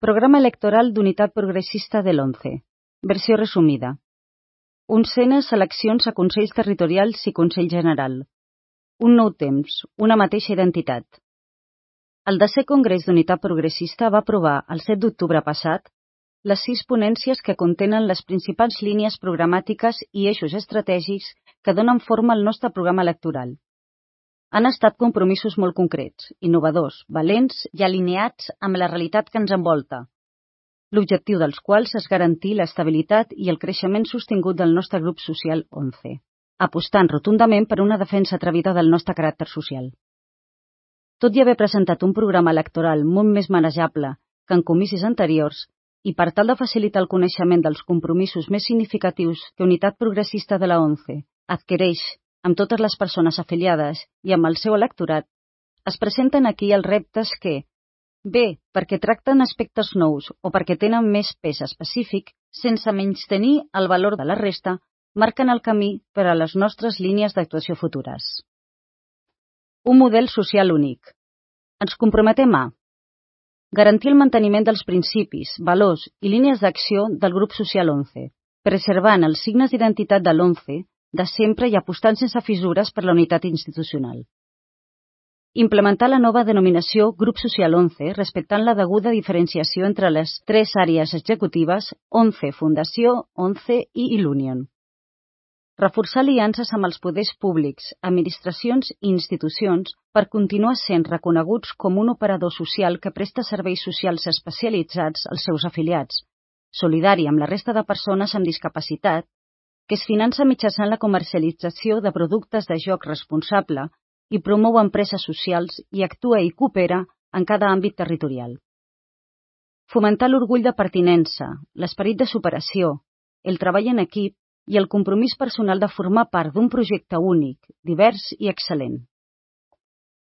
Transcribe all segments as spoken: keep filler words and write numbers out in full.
Programa electoral d'Unitat Progressista de l'once. Versió resumida. Onzenes eleccions a Consells Territorials i Consell General. Un nou temps, una mateixa identitat. El desè Congrés d'Unitat Progressista va aprovar, el set d'octubre passat, les sis ponències que contenen les principals línies programàtiques i eixos estratègics que donen forma al nostre programa electoral. Han estat compromisos molt concrets, innovadors, valents i alineats amb la realitat que ens envolta, l'objectiu dels quals és garantir l'estabilitat i el creixement sostingut del nostre grup social once, apostant rotundament per una defensa atrevida del nostre caràcter social. Tot i haver presentat un programa electoral molt més manejable que en comicis anteriors, i per tal de facilitar el coneixement dels compromisos més significatius que Unitat Progressista de la once adquireix amb totes les persones afiliades i amb el seu electorat, es presenten aquí els reptes que, bé perquè tracten aspectes nous o perquè tenen més pes específic, sense menystenir el valor de la resta, marquen el camí per a les nostres línies d'actuació futures. Un model social únic. Ens comprometem a garantir el manteniment dels principis, valors i línies d'acció del grup social once, preservant els signes d'identitat de l'once de sempre i apostant sense fissures per la unitat institucional. Implementar la nova denominació Grup Social once respectant la deguda diferenciació entre les tres àrees executives once Fundació, once i Ilunion. Reforçar aliances amb els poders públics, administracions i institucions per continuar sent reconeguts com un operador social que presta serveis socials especialitzats als seus afiliats, solidari amb la resta de persones amb discapacitat, que es finança mitjançant la comercialització de productes de joc responsable i promou empreses socials i actua i coopera en cada àmbit territorial. Fomentar l'orgull de pertinença, l'esperit de superació, el treball en equip i el compromís personal de formar part d'un projecte únic, divers i excel·lent.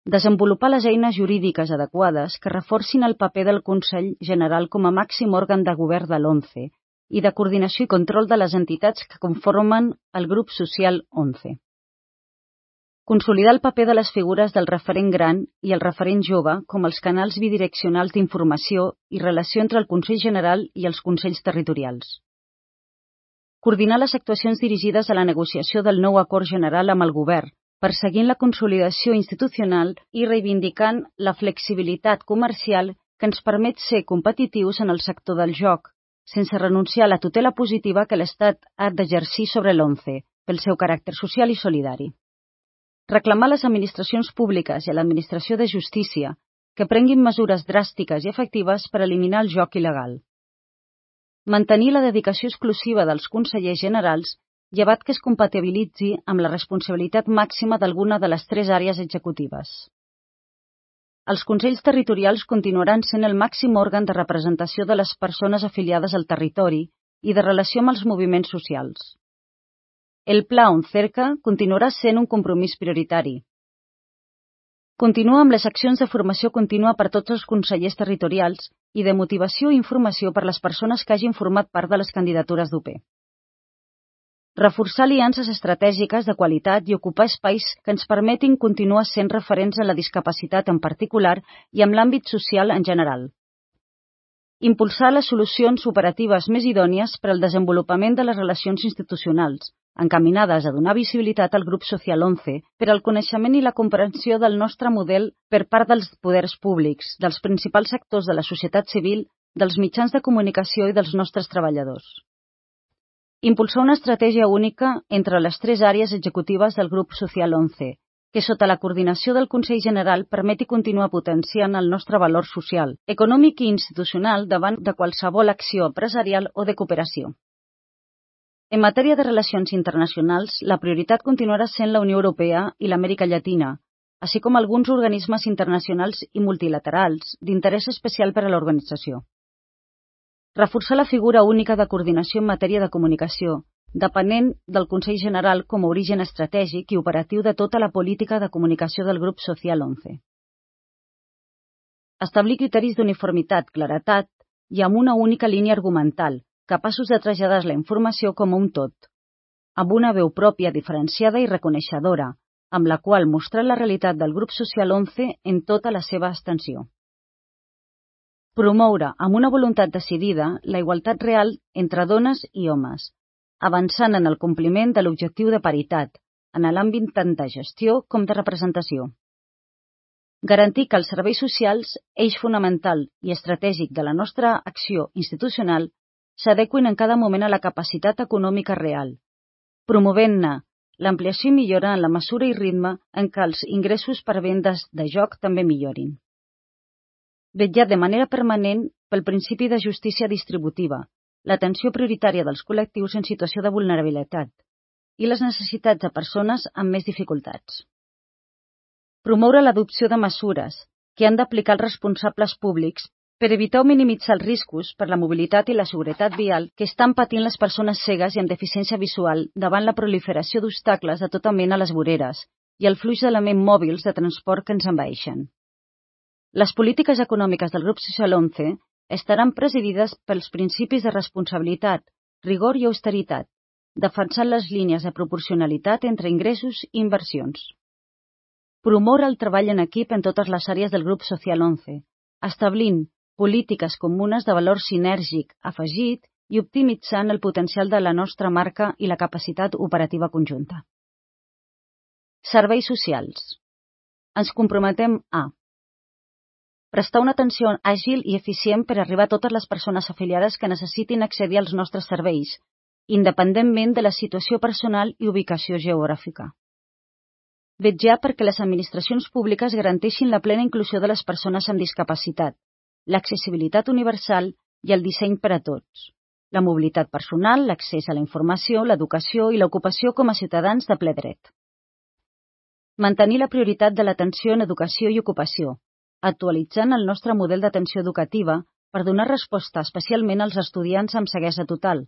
Desenvolupar les eines jurídiques adequades que reforcin el paper del Consell General com a màxim òrgan de govern de l'once i de coordinació i control de les entitats que conformen el grup social once. Consolidar el paper de les figures del referent gran i el referent jove com els canals bidireccionals d'informació i relació entre el Consell General i els Consells Territorials. Coordinar les actuacions dirigides a la negociació del nou acord general amb el govern, perseguint la consolidació institucional i reivindicant la flexibilitat comercial que ens permet ser competitius en el sector del joc, sense renunciar a la tutela positiva que l'Estat ha d'exercir sobre l'once, pel seu caràcter social i solidari. Reclamar a les administracions públiques i a l'administració de justícia que prenguin mesures dràstiques i efectives per eliminar el joc il·legal. Mantenir la dedicació exclusiva dels consellers generals, llevat que es compatibilitzi amb la responsabilitat màxima d'alguna de les tres àrees executives. Els Consells Territorials continuaran sent el màxim òrgan de representació de les persones afiliades al territori i de relació amb els moviments socials. El Pla ONCERCA continuarà sent un compromís prioritari. Continua amb les accions de formació contínua per tots els consellers territorials i de motivació i informació per les persones que hagin format part de les candidatures d'U P. Reforçar aliances estratègiques de qualitat i ocupar espais que ens permetin continuar sent referents en la discapacitat en particular i en l'àmbit social en general. Impulsar les solucions operatives més idònies per al desenvolupament de les relacions institucionals, encaminades a donar visibilitat al grup social once per al coneixement i la comprensió del nostre model per part dels poders públics, dels principals sectors de la societat civil, dels mitjans de comunicació i dels nostres treballadors. Impulsar una estratègia única entre les tres àrees executives del grup social once, que sota la coordinació del Consell General permeti continuar potenciant el nostre valor social, econòmic i institucional davant de qualsevol acció empresarial o de cooperació. En matèria de relacions internacionals, la prioritat continuarà sent la Unió Europea i l'Amèrica Llatina, així com alguns organismes internacionals i multilaterals d'interès especial per a l'organització. Reforçar la figura única de coordinació en matèria de comunicació, depenent del Consell General com a origen estratègic i operatiu de tota la política de comunicació del grup social once. Establir criteris d'uniformitat, claretat i amb una única línia argumental, capaços de traslladar la informació com un tot, amb una veu pròpia diferenciada i reconeixedora, amb la qual mostrar la realitat del grup social once en tota la seva extensió. Promoure, amb una voluntat decidida, la igualtat real entre dones i homes, avançant en el compliment de l'objectiu de paritat, en l'àmbit tant de gestió com de representació. Garantir que els serveis socials, eix fonamental i estratègic de la nostra acció institucional, s'adequin en cada moment a la capacitat econòmica real, promovent-ne l'ampliació i millora en la mesura i ritme en què els ingressos per vendes de joc també millorin. Vetllar de manera permanent pel principi de justícia distributiva, l'atenció prioritària dels col·lectius en situació de vulnerabilitat i les necessitats de persones amb més dificultats. Promoure l'adopció de mesures que han d'aplicar els responsables públics per evitar o minimitzar els riscos per la mobilitat i la seguretat vial que estan patint les persones cegues i amb deficiència visual davant la proliferació d'obstacles de tota mena a les voreres i el flux d'elements mòbils de transport que ens envaeixen. Les polítiques econòmiques del Grup Social onze estaran presidides pels principis de responsabilitat, rigor i austeritat, defensant les línies de proporcionalitat entre ingressos i inversions. Promoure el treball en equip en totes les àrees del Grup Social onze, establint polítiques comunes de valor sinèrgic afegit i optimitzant el potencial de la nostra marca i la capacitat operativa conjunta. Serveis socials. Ens comprometem a prestar una atenció àgil i eficient per arribar a totes les persones afiliades que necessitin accedir als nostres serveis, independentment de la situació personal i ubicació geogràfica. Vetllar perquè les administracions públiques garanteixin la plena inclusió de les persones amb discapacitat, l'accessibilitat universal i el disseny per a tots, la mobilitat personal, l'accés a la informació, l'educació i l'ocupació com a ciutadans de ple dret. Mantenir la prioritat de l'atenció en educació i ocupació, actualitzant el nostre model d'atenció educativa per donar resposta especialment als estudiants amb ceguesa total,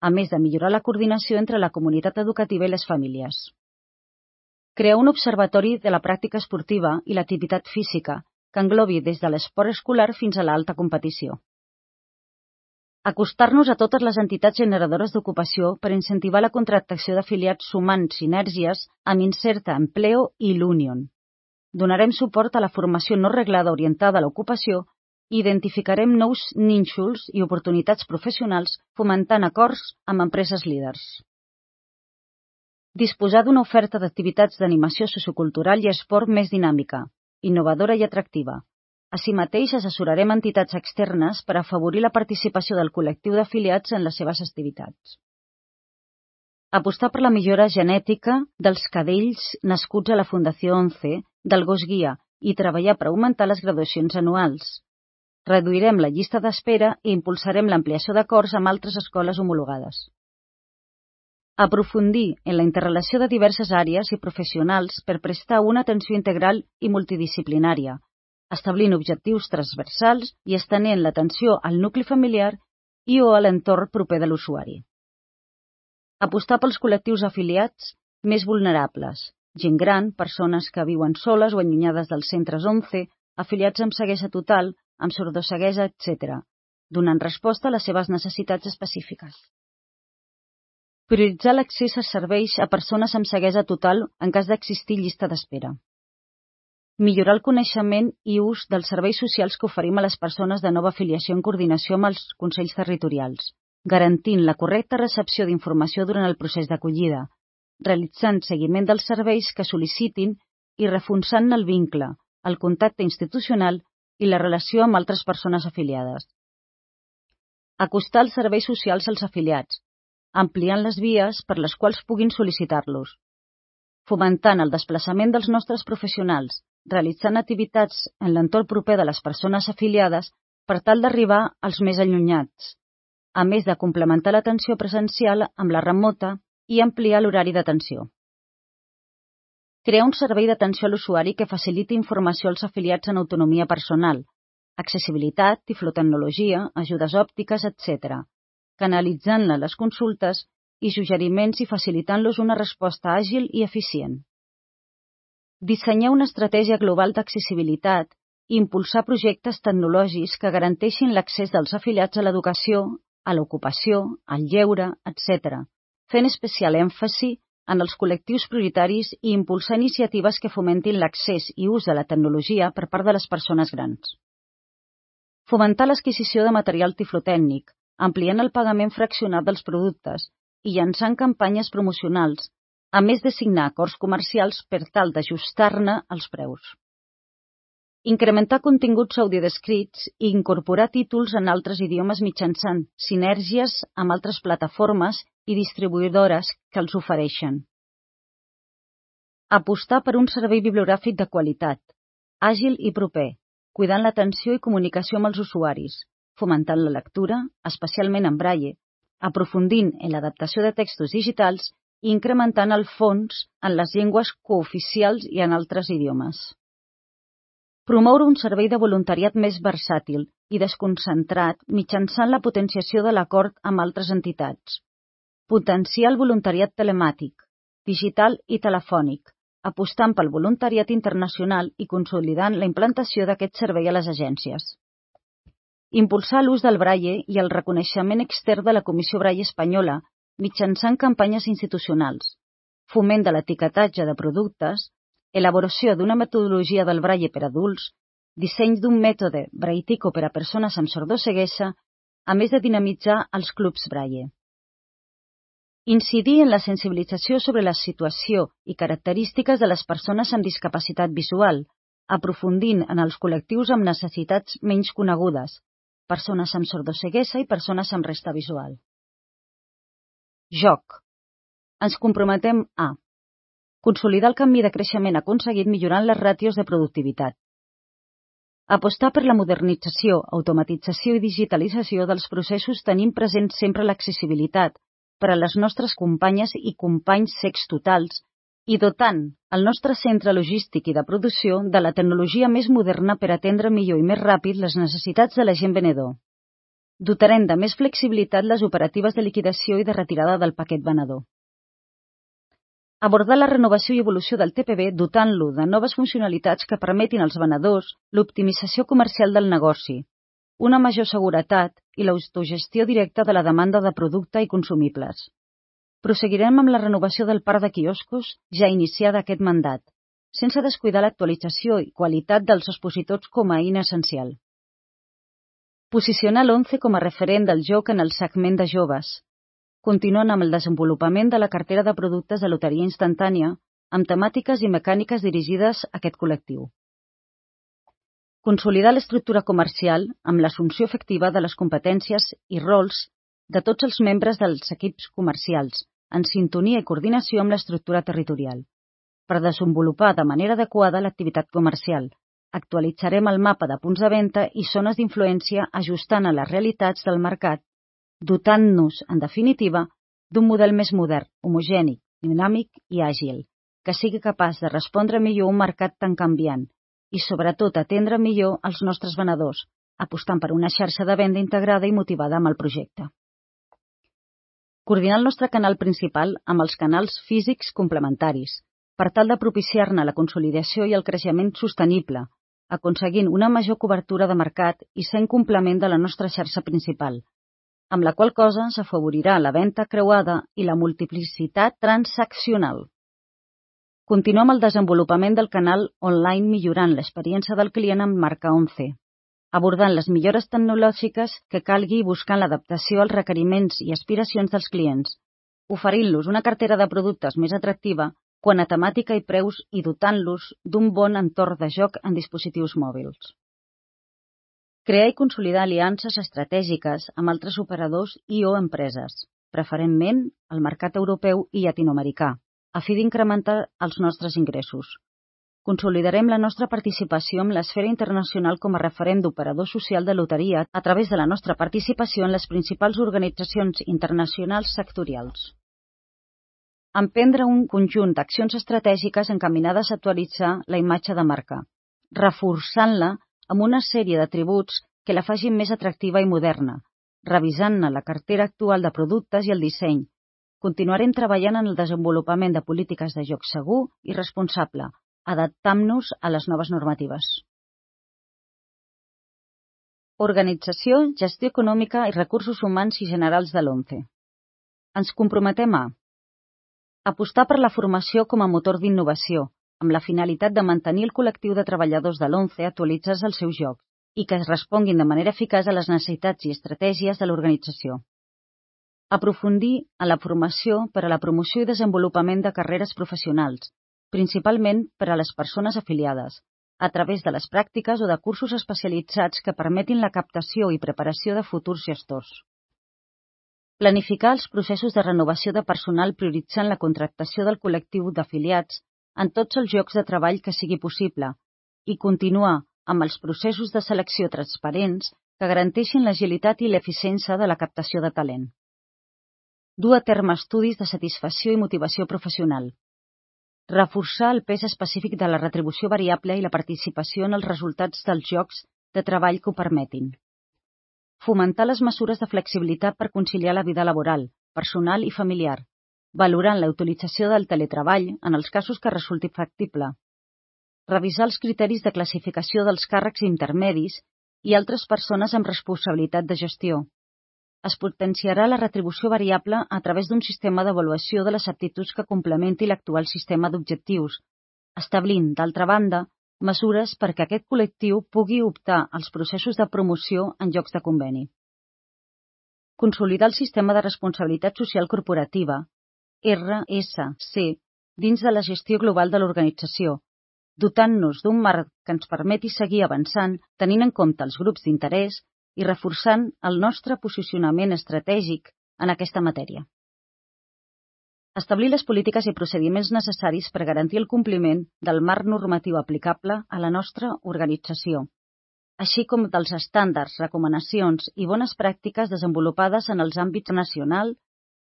a més de millorar la coordinació entre la comunitat educativa i les famílies. Crear un observatori de la pràctica esportiva i l'activitat física que englobi des de l'esport escolar fins a l'alta competició. Acostar-nos a totes les entitats generadores d'ocupació per incentivar la contractació d'afiliats sumant sinèrgies amb Inserta Empleo i l'Union. Donarem suport a la formació no reglada orientada a l'ocupació i identificarem nous nínxols i oportunitats professionals fomentant acords amb empreses líders. Disposar d'una oferta d'activitats d'animació sociocultural i esport més dinàmica, innovadora i atractiva. Així mateix, assessorarem entitats externes per afavorir la participació del col·lectiu d'afiliats en les seves activitats. Apostar per la millora genètica dels cadells nascuts a la Fundació onze, del gos guia, i treballar per augmentar les graduacions anuals. Reduirem la llista d'espera i impulsarem l'ampliació d'acords amb altres escoles homologades. Aprofundir en la interrelació de diverses àrees i professionals per prestar una atenció integral i multidisciplinària, establint objectius transversals i estenent l'atenció al nucli familiar i o a l'entorn proper de l'usuari. Apostar pels col·lectius afiliats més vulnerables, gent gran, persones que viuen soles o allunyades dels centres onze, afiliats amb ceguesa total, amb sordoceguesa, etcètera, donant resposta a les seves necessitats específiques. Prioritzar l'accés a serveis a persones amb ceguesa total en cas d'existir llista d'espera. Millorar el coneixement i ús dels serveis socials que oferim a les persones de nova afiliació en coordinació amb els consells territorials, garantint la correcta recepció d'informació durant el procés d'acollida, realitzant seguiment dels serveis que sol·licitin i reforçant el vincle, el contacte institucional i la relació amb altres persones afiliades. Acostar els serveis socials als afiliats, ampliant les vies per les quals puguin sol·licitar-los, fomentant el desplaçament dels nostres professionals, realitzant activitats en l'entorn proper de les persones afiliades per tal d'arribar als més allunyats, a més de complementar l'atenció presencial amb la remota i ampliar l'horari d'atenció. Crear un servei d'atenció a l'usuari que faciliti informació als afiliats en autonomia personal, accessibilitat, tiflotecnologia, ajudes òptiques, etcètera, canalitzant-ne les consultes i suggeriments i facilitant-los una resposta àgil i eficient. Dissenyar una estratègia global d'accessibilitat i impulsar projectes tecnològics que garanteixin l'accés dels afiliats a l'educació, a l'ocupació, al lleure, etcètera, fent especial èmfasi en els col·lectius prioritaris i impulsar iniciatives que fomentin l'accés i ús de la tecnologia per part de les persones grans. Fomentar l'adquisició de material tiflotècnic, ampliant el pagament fraccionat dels productes i llançant campanyes promocionals, a més de signar acords comercials per tal d'ajustar-ne els preus. Incrementar continguts audiodescrits i incorporar títols en altres idiomes mitjançant sinergies amb altres plataformes i distribuïdores que els ofereixen. Apostar per un servei bibliogràfic de qualitat, àgil i proper, cuidant l'atenció i comunicació amb els usuaris, fomentant la lectura, especialment en braille, aprofundint en l'adaptació de textos digitals i incrementant el fons en les llengües cooficials i en altres idiomes. Promoure un servei de voluntariat més versàtil i desconcentrat mitjançant la potenciació de l'acord amb altres entitats. Potenciar el voluntariat telemàtic, digital i telefònic, apostant pel voluntariat internacional i consolidant la implantació d'aquest servei a les agències. Impulsar l'ús del braille i el reconeixement extern de la Comissió Braille Espanyola mitjançant campanyes institucionals, foment de l'etiquetatge de productes, elaboració d'una metodologia del braille per adults, disseny d'un mètode brailletico per a persones amb sordoceguesa, a més de dinamitzar els clubs braille. Incidir en la sensibilització sobre la situació i característiques de les persones amb discapacitat visual, aprofundint en els col·lectius amb necessitats menys conegudes, persones amb sordoceguesa i persones amb resta visual. Joc. Ens comprometem a consolidar el camí de creixement aconseguit millorant les ràtios de productivitat. Apostar per la modernització, automatització i digitalització dels processos tenint present sempre l'accessibilitat per a les nostres companyes i companys cecs totals i dotant el nostre centre logístic i de producció de la tecnologia més moderna per atendre millor i més ràpid les necessitats de l'agent venedor. Dotarem de més flexibilitat les operatives de liquidació i de retirada del paquet venedor. Abordar la renovació i evolució del T P B dotant-lo de noves funcionalitats que permetin als venedors l'optimització comercial del negoci, una major seguretat i l'autogestió directa de la demanda de producte i consumibles. Proseguirem amb la renovació del parc de quioscos ja iniciada aquest mandat, sense descuidar l'actualització i qualitat dels expositors com a eina essencial. Posicionar l'Once com a referent del joc en el segment de joves, continuant amb el desenvolupament de la cartera de productes de loteria instantània amb temàtiques i mecàniques dirigides a aquest col·lectiu. Consolidar l'estructura comercial amb l'assumpció efectiva de les competències i rols de tots els membres dels equips comercials, en sintonia i coordinació amb l'estructura territorial. Per desenvolupar de manera adequada l'activitat comercial, actualitzarem el mapa de punts de venda i zones d'influència ajustant a les realitats del mercat, dotant-nos, en definitiva, d'un model més modern, homogènic, dinàmic i àgil, que sigui capaç de respondre millor a un mercat tan canviant i, sobretot, atendre millor els nostres venedors, apostant per una xarxa de venda integrada i motivada amb el projecte. Coordinar el nostre canal principal amb els canals físics complementaris, per tal de propiciar-ne la consolidació i el creixement sostenible, aconseguint una major cobertura de mercat i sent complement de la nostra xarxa principal, amb la qual cosa s'afavorirà la venda creuada i la multiplicitat transaccional. Continuem el desenvolupament del canal online millorant l'experiència del client amb marca Once, abordant les millores tecnològiques que calgui i buscant l'adaptació als requeriments i aspiracions dels clients, oferint-los una cartera de productes més atractiva quant a temàtica i preus i dotant-los d'un bon entorn de joc en dispositius mòbils. Crear i consolidar aliances estratègiques amb altres operadors i o empreses, preferentment al mercat europeu i llatinoamericà, a fi d'incrementar els nostres ingressos. Consolidarem la nostra participació en l'esfera internacional com a referent d'operador social de loteria a través de la nostra participació en les principals organitzacions internacionals sectorials. Emprendre un conjunt d'accions estratègiques encaminades a actualitzar la imatge de marca, reforçant-la amb una sèrie d'atributs que la facin més atractiva i moderna, revisant-ne la cartera actual de productes i el disseny. Continuarem treballant en el desenvolupament de polítiques de joc segur i responsable, adaptant-nos a les noves normatives. Organització, gestió econòmica i recursos humans i generals de l'Once. Ens comprometem a apostar per la formació com a motor d'innovació, amb la finalitat de mantenir el col·lectiu de treballadors de l'Once actualitzats als seus jocs i que es responguin de manera eficaç a les necessitats i estratègies de l'organització. Aprofundir en la formació per a la promoció i desenvolupament de carreres professionals, principalment per a les persones afiliades, a través de les pràctiques o de cursos especialitzats que permetin la captació i preparació de futurs gestors. Planificar els processos de renovació de personal prioritzant la contractació del col·lectiu d'afiliats en tots els llocs de treball que sigui possible i continuar amb els processos de selecció transparents que garanteixin l'agilitat i l'eficiència de la captació de talent. Dur a terme estudis de satisfacció i motivació professional. Reforçar el pes específic de la retribució variable i la participació en els resultats dels llocs de treball que ho permetin. Fomentar les mesures de flexibilitat per conciliar la vida laboral, personal i familiar, valorant la utilització del teletreball en els casos que resulti factible. Revisar els criteris de classificació dels càrrecs intermedis i altres persones amb responsabilitat de gestió. Es potenciarà la retribució variable a través d'un sistema d'avaluació de les aptituds que complementi l'actual sistema d'objectius, establint, d'altra banda, mesures perquè aquest col·lectiu pugui optar als processos de promoció en llocs de conveni. Consolidar el sistema de responsabilitat social corporativa, R S C, dins de la gestió global de l'organització, dotant-nos d'un marc que ens permeti seguir avançant tenint en compte els grups d'interès i reforçant el nostre posicionament estratègic en aquesta matèria. Establir les polítiques i procediments necessaris per garantir el compliment del marc normatiu aplicable a la nostra organització, així com dels estàndards, recomanacions i bones pràctiques desenvolupades en els àmbits nacional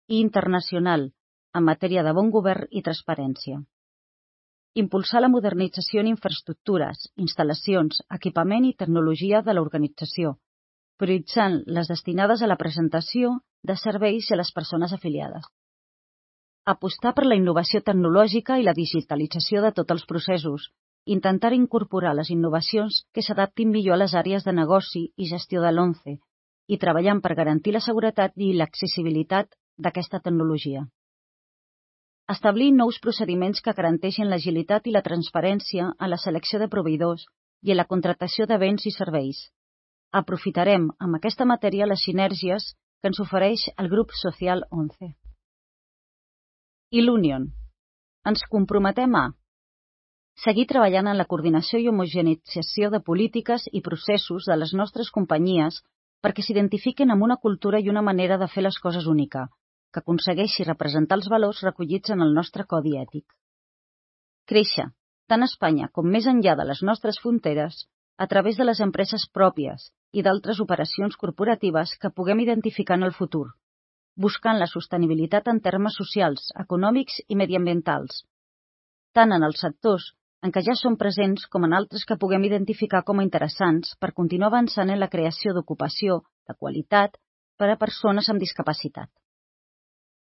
i internacional en matèria de bon govern i transparència. Impulsar la modernització en infraestructures, instal·lacions, equipament i tecnologia de l'organització, prioritzant les destinades a la presentació de serveis a les persones afiliades. Apostar per la innovació tecnològica i la digitalització de tots els processos, intentar incorporar les innovacions que s'adaptin millor a les àrees de negoci i gestió de l'ONCE i treballant per garantir la seguretat i l'accessibilitat d'aquesta tecnologia. Establir nous procediments que garanteixin l'agilitat i la transparència en la selecció de proveïdors i en la contractació de béns i serveis. Aprofitarem amb aquesta matèria les sinergies que ens ofereix el grup social ONCE. I l'Union. Ens comprometem a seguir treballant en la coordinació i homogeneïtzació de polítiques i processos de les nostres companyies perquè s'identifiquen amb una cultura i una manera de fer les coses única, que aconsegueixi representar els valors recollits en el nostre codi ètic. Créixer, tant a Espanya com més enllà de les nostres fronteres, a través de les empreses pròpies i d'altres operacions corporatives que puguem identificar en el futur, buscant la sostenibilitat en termes socials, econòmics i mediambientals, tant en els sectors en què ja som presents com en altres que puguem identificar com a interessants per continuar avançant en la creació d'ocupació de qualitat per a persones amb discapacitat.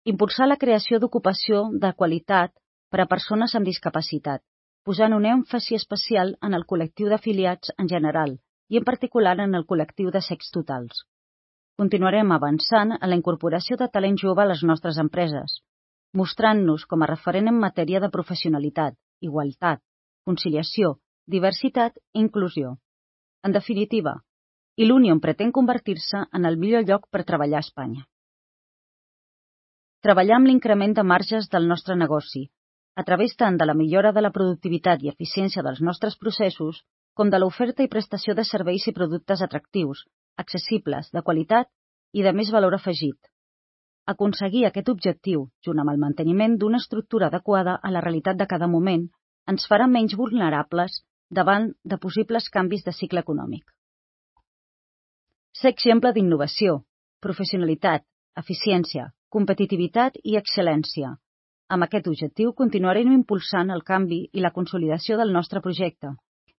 Impulsar la creació d'ocupació de qualitat per a persones amb discapacitat, posant un èmfasi especial en el col·lectiu d'afiliats en general i en particular en el col·lectiu de cecs totals. Continuarem avançant en la incorporació de talent jove a les nostres empreses, mostrant-nos com a referent en matèria de professionalitat, igualtat, conciliació, diversitat i inclusió. En definitiva, l'Union pretén convertir-se en el millor lloc per treballar a Espanya. Treballar amb l'increment de marges del nostre negoci, a través tant de la millora de la productivitat i eficiència dels nostres processos, com de l'oferta i prestació de serveis i productes atractius, accessibles, de qualitat i de més valor afegit. Aconseguir aquest objectiu, junt amb el manteniment d'una estructura adequada a la realitat de cada moment, ens farà menys vulnerables davant de possibles canvis de cicle econòmic. Ser exemple d'innovació, professionalitat, eficiència, competitivitat i excel·lència. Amb aquest objectiu continuarem impulsant el canvi i la consolidació del nostre projecte,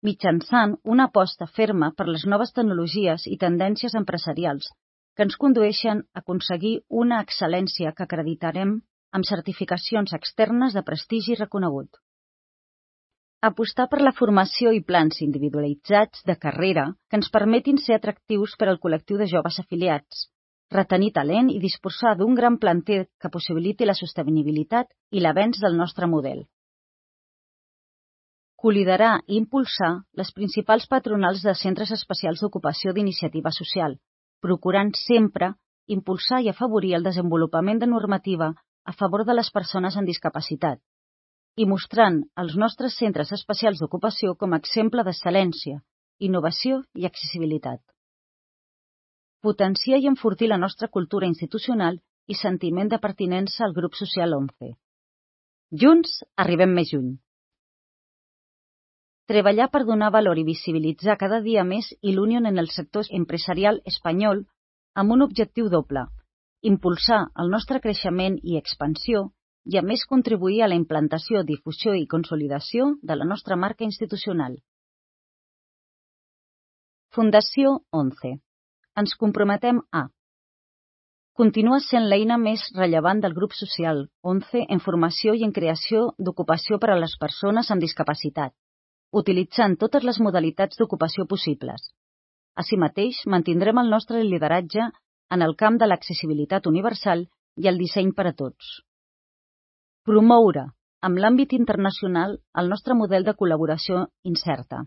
mitjançant una aposta ferma per les noves tecnologies i tendències empresarials que ens condueixen a aconseguir una excel·lència que acreditarem amb certificacions externes de prestigi reconegut. Apostar per la formació i plans individualitzats de carrera que ens permetin ser atractius per al col·lectiu de joves afiliats, retenir talent i disposar d'un gran planter que possibiliti la sostenibilitat i l'avenç del nostre model. Coliderar i impulsar les principals patronals de centres especials d'ocupació d'iniciativa social, procurant sempre impulsar i afavorir el desenvolupament de normativa a favor de les persones amb discapacitat i mostrant els nostres centres especials d'ocupació com a exemple d'excel·lència, innovació i accessibilitat. Potenciar i enfortir la nostra cultura institucional i sentiment de pertinença al grup social onze. Junts arribem més lluny. Treballar per donar valor i visibilitzar cada dia més il·Union en el sector empresarial espanyol amb un objectiu doble, impulsar el nostre creixement i expansió i a més contribuir a la implantació, difusió i consolidació de la nostra marca institucional. Fundació onze. Ens comprometem a continuar sent l'eina més rellevant del grup social onze en formació i en creació d'ocupació per a les persones amb discapacitat, utilitzant totes les modalitats d'ocupació possibles. Així mateix, mantindrem el nostre lideratge en el camp de l'accessibilitat universal i el disseny per a tots. Promoure, amb l'àmbit internacional, el nostre model de col·laboració incerta.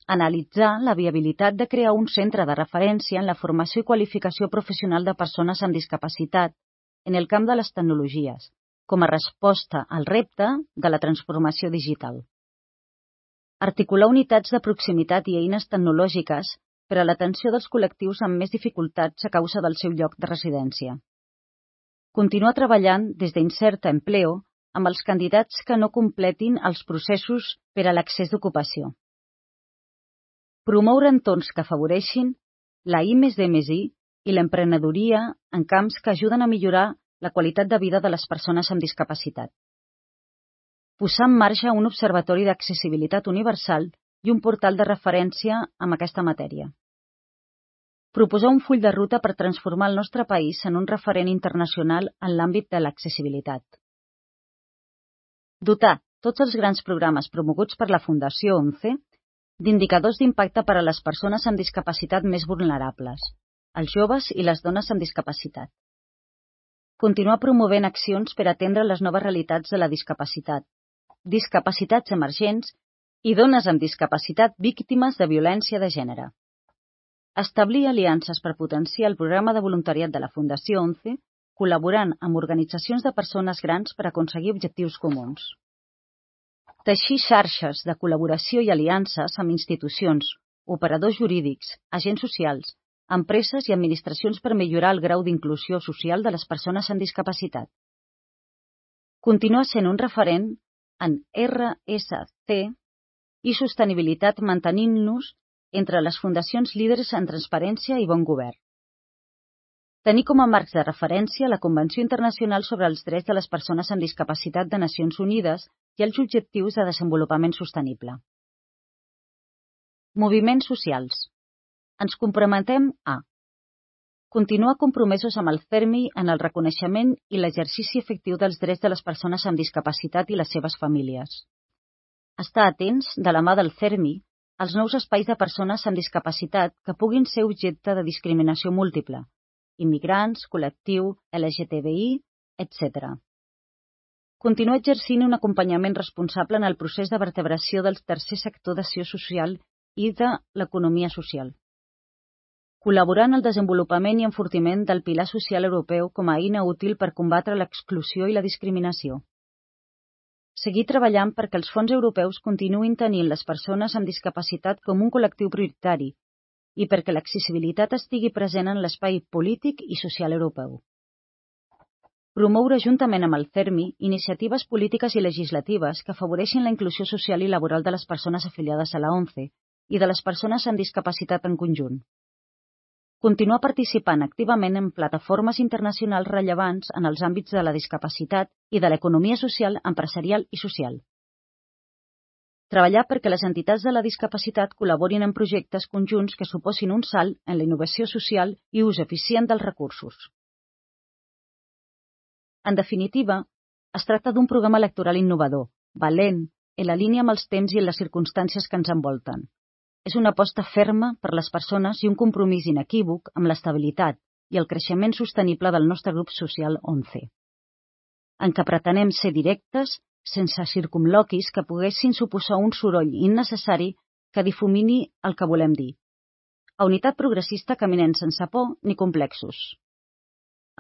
Analitzar la viabilitat de crear un centre de referència en la formació i qualificació professional de persones amb discapacitat en el camp de les tecnologies, com a resposta al repte de la transformació digital. Articular unitats de proximitat i eines tecnològiques per a l'atenció dels col·lectius amb més dificultats a causa del seu lloc de residència. Continuar treballant des d'Incerta Empleo amb els candidats que no completin els processos per a l'accés d'ocupació. Promoure entorns que afavoreixin la I més D més I i l'emprenedoria en camps que ajuden a millorar la qualitat de vida de les persones amb discapacitat. Posar en marxa un observatori d'accessibilitat universal i un portal de referència amb aquesta matèria. Proposar un full de ruta per transformar el nostre país en un referent internacional en l'àmbit de l'accessibilitat. Dotar tots els grans programes promoguts per la Fundació onze d'indicadors d'impacte per a les persones amb discapacitat més vulnerables, els joves i les dones amb discapacitat. Continuar promovent accions per atendre les noves realitats de la discapacitat, discapacitats emergents i dones amb discapacitat víctimes de violència de gènere. Establir aliances per potenciar el programa de voluntariat de la Fundació onze, col·laborant amb organitzacions de persones grans per aconseguir objectius comuns. Teixir xarxes de col·laboració i aliances amb institucions, operadors jurídics, agents socials, empreses i administracions per millorar el grau d'inclusió social de les persones amb discapacitat. Continuar sent un referent en R S C i sostenibilitat mantenint-nos entre les fundacions líders en transparència i bon govern. Tenir com a marcs de referència la Convenció Internacional sobre els Drets de les Persones amb Discapacitat de Nacions Unides i els Objectius de Desenvolupament Sostenible. Moviments socials. Ens comprometem a continuar compromesos amb el CERMI en el reconeixement i l'exercici efectiu dels drets de les persones amb discapacitat i les seves famílies. Estar atents, de la mà del CERMI, als nous espais de persones amb discapacitat que puguin ser objecte de discriminació múltiple, immigrants, col·lectiu, L G T B I, etcètera. Continuar exercint un acompanyament responsable en el procés de vertebració del tercer sector d'acció social i de l'economia social. Col·laborar en el desenvolupament i enfortiment del pilar social europeu com a eina útil per combatre l'exclusió i la discriminació. Seguir treballant perquè els fons europeus continuïn tenint les persones amb discapacitat com un col·lectiu prioritari i perquè l'accessibilitat estigui present en l'espai polític i social europeu. Promoure juntament amb el CERMI iniciatives polítiques i legislatives que afavoreixin la inclusió social i laboral de les persones afiliades a la ONCE i de les persones amb discapacitat en conjunt. Continuar participant activament en plataformes internacionals rellevants en els àmbits de la discapacitat i de l'economia social, empresarial i social. Treballar perquè les entitats de la discapacitat col·laborin en projectes conjunts que suposin un salt en la innovació social i ús eficient dels recursos. En definitiva, es tracta d'un programa electoral innovador, valent, en la línia amb els temps i en les circumstàncies que ens envolten. És una aposta ferma per les persones i un compromís inequívoc amb l'estabilitat i el creixement sostenible del nostre grup social onze, en què pretenem ser directes sense circumloquis que poguessin suposar un soroll innecessari que difumini el que volem dir. A Unitat Progressista caminem sense por ni complexos.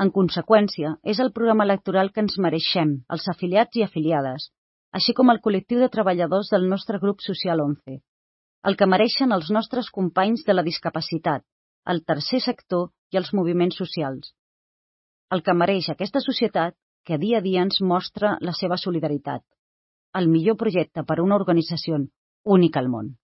En conseqüència, és el programa electoral que ens mereixem, els afiliats i afiliades, així com el col·lectiu de treballadors del nostre grup social onze, el que mereixen els nostres companys de la discapacitat, el tercer sector i els moviments socials, el que mereix aquesta societat que dia a dia ens mostra la seva solidaritat, el millor projecte per a una organització única al món.